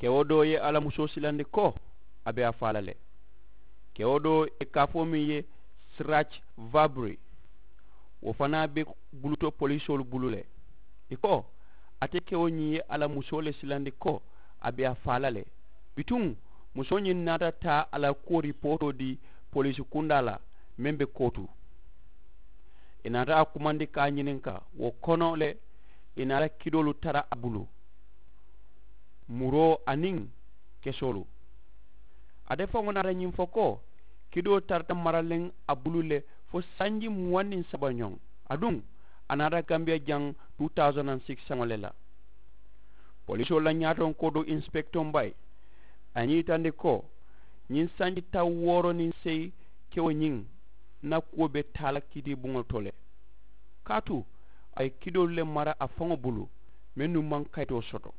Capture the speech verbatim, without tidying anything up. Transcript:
Kewo doo ye a la musoo silandi ko a be a faa la le. Kewo doo ye kaafoo meŋ ye sirac vabri, wo fanaa be buluto polisoolu bulu le. Ì ko, ate kewo ñiŋ ye a la musoo le silandi ko a be a faa la le. Bituŋ musoo ñiŋ naata taa a la kuwo ripootoo dii poliisi kundaa la meŋ be kootu. Ì naata a kumandi ka a ñininka wo kono le. Ì naata kidoolu tara a bulu, muroo aniŋ kesoolu. Ate faŋo naata ñiŋ fo ko kidoo tarata maraleŋ a bulu le fo sanji muwaŋ niŋ saba ñoŋ. Aduŋ a naata gambiya jaŋ two thousand and six saŋo le la. Polisoolu la ñaatoŋ kodo inspekitoŋ bayi a ye ñiŋ yitandi ko ñiŋ sanji taŋ wooro niŋ seyi kewo ñiŋ na kuwo be taa la kiitiibuŋo to le. Kaatu a ye kidoolu le mara a faŋo bulu mennu maŋ kayitoo soto.